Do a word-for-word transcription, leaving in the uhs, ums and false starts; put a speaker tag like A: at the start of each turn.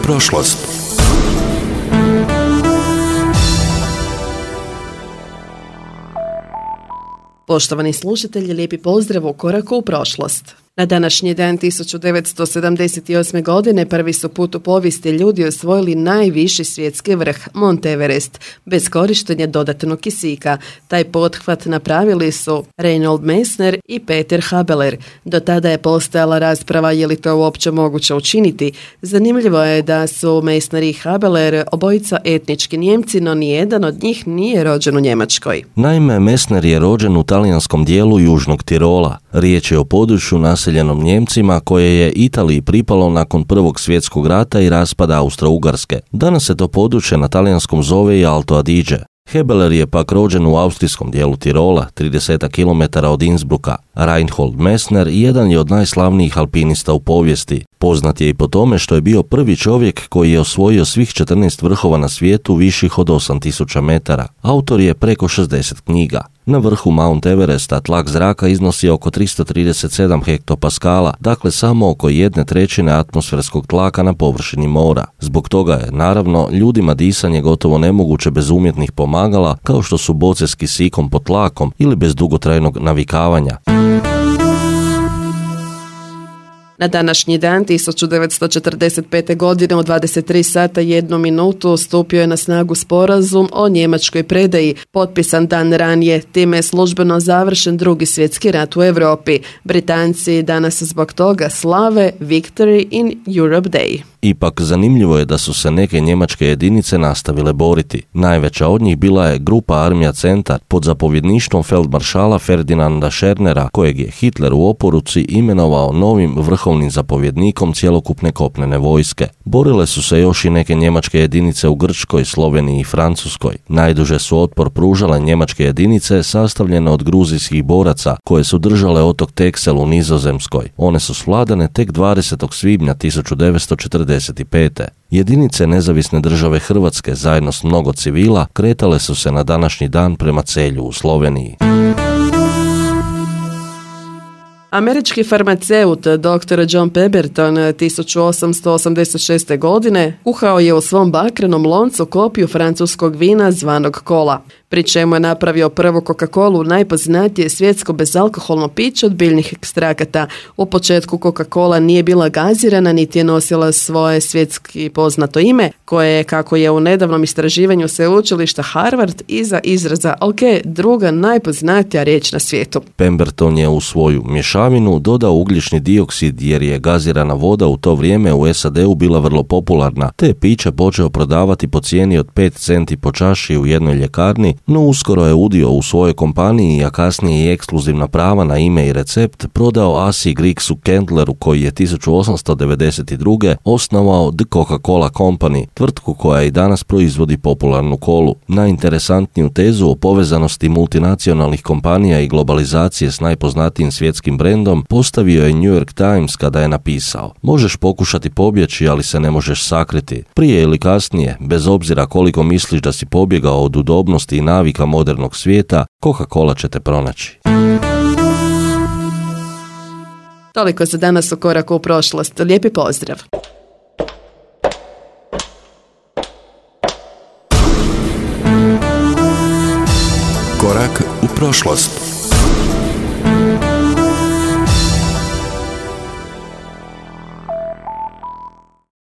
A: prošlost.
B: Poštovani slušatelji, lijepi pozdrav u koraku u prošlost. Na današnji dan tisuću devetsto sedamdeset osme. godine prvi su put u povijesti ljudi osvojili najviši svjetski vrh, Mount Everest, bez korištenja dodatnog kisika. Taj pothvat napravili su Reinhold Messner i Peter Habeler. Do tada je postojala rasprava je li to uopće moguće učiniti. Zanimljivo je da su Messner i Habeler obojica etnički Nijemci, no nijedan od njih nije rođen u Njemačkoj.
C: Naime, Messner je rođen u talijanskom dijelu Južnog Tirola. Riječ je o području naseljenom Njemcima koje je Italiji pripalo nakon Prvog svjetskog rata i raspada Austro-Ugarske. Danas se to područje na talijanskom zove i Alto Adige. Habeler je pak rođen u austrijskom dijelu Tirola, trideset kilometara od Innsbrucka. Reinhold Messner jedan je od najslavnijih alpinista u povijesti. Poznat je i po tome što je bio prvi čovjek koji je osvojio svih četrnaest vrhova na svijetu viših od osam tisuća metara. Autor je preko šezdeset knjiga. Na vrhu Mount Everesta tlak zraka iznosi oko tristo trideset sedam hektopaskala, dakle samo oko jedne trećine atmosferskog tlaka na površini mora. Zbog toga je, naravno, ljudima disanje gotovo nemoguće bez umjetnih pomagala, kao što su boce s kisikom pod tlakom ili bez dugotrajnog navikavanja.
B: Na današnji dan tisuću devetsto četrdeset pete. godine u dvadeset tri sata i jednu minutu stupio je na snagu sporazum o njemačkoj predaji, potpisan dan ranije. Time je službeno završen Drugi svjetski rat u Europi. Britanci danas zbog toga slave Victory in Europe Day.
C: Ipak zanimljivo je da su se neke njemačke jedinice nastavile boriti. Najveća od njih bila je grupa Armija Centar pod zapovjedništvom feldmaršala Ferdinanda Schernera, kojeg je Hitler u oporuci imenovao novim vrhovnim zapovjednikom cjelokupne kopnene vojske. Borile su se još i neke njemačke jedinice u Grčkoj, Sloveniji i Francuskoj. Najduže su otpor pružale njemačke jedinice sastavljene od gruzijskih boraca koje su držale otok Texel u Nizozemskoj. One su svladane tek dvadesetog svibnja tisuću devetsto četrdeset pete. Jedinice nezavisne države Hrvatske zajedno s mnogo civila kretale su se na današnji dan prema Celju u Sloveniji.
B: Američki farmaceut doktor John Pemberton tisuću osamsto osamdeset šeste. godine kuhao je u svom bakrenom loncu kopiju francuskog vina zvanog Kola, pri čemu je napravio prvu Coca-Colu, najpoznatije svjetsko bezalkoholno piće od biljnih ekstrakata. U početku Coca-Cola nije bila gazirana niti je nosila svoje svjetski poznato ime, koje je, kako je u nedavnom istraživanju sveučilišta Harvard, iza izraza alke druga najpoznatija riječ na svijetu.
C: Pemberton je u svoju mješavinu dodao ugljični dioksid jer je gazirana voda u to vrijeme u S A D-u bila vrlo popularna, te je piće počeo prodavati po cijeni od pet centi po čaši u jednoj ljekarni, no uskoro je udio u svojoj kompaniji, a kasnije i ekskluzivna prava na ime i recept prodao Asi Grigsu Kendleru, koji je tisuću osamsto devedeset druge. osnovao The Coca-Cola Company, tvrtku koja i danas proizvodi popularnu kolu. Najinteresantniju tezu o povezanosti multinacionalnih kompanija i globalizacije s najpoznatijim svjetskim brendom postavio je New York Times kada je napisao: možeš pokušati pobjeći, ali se ne možeš sakriti. Prije ili kasnije, bez obzira koliko misliš da si pobjegao od udobnosti i navika modernog svijeta, Coca-Cola će te pronaći.
B: Toliko za danas u koraku u prošlost. Lijepi pozdrav!
A: Korak u prošlost.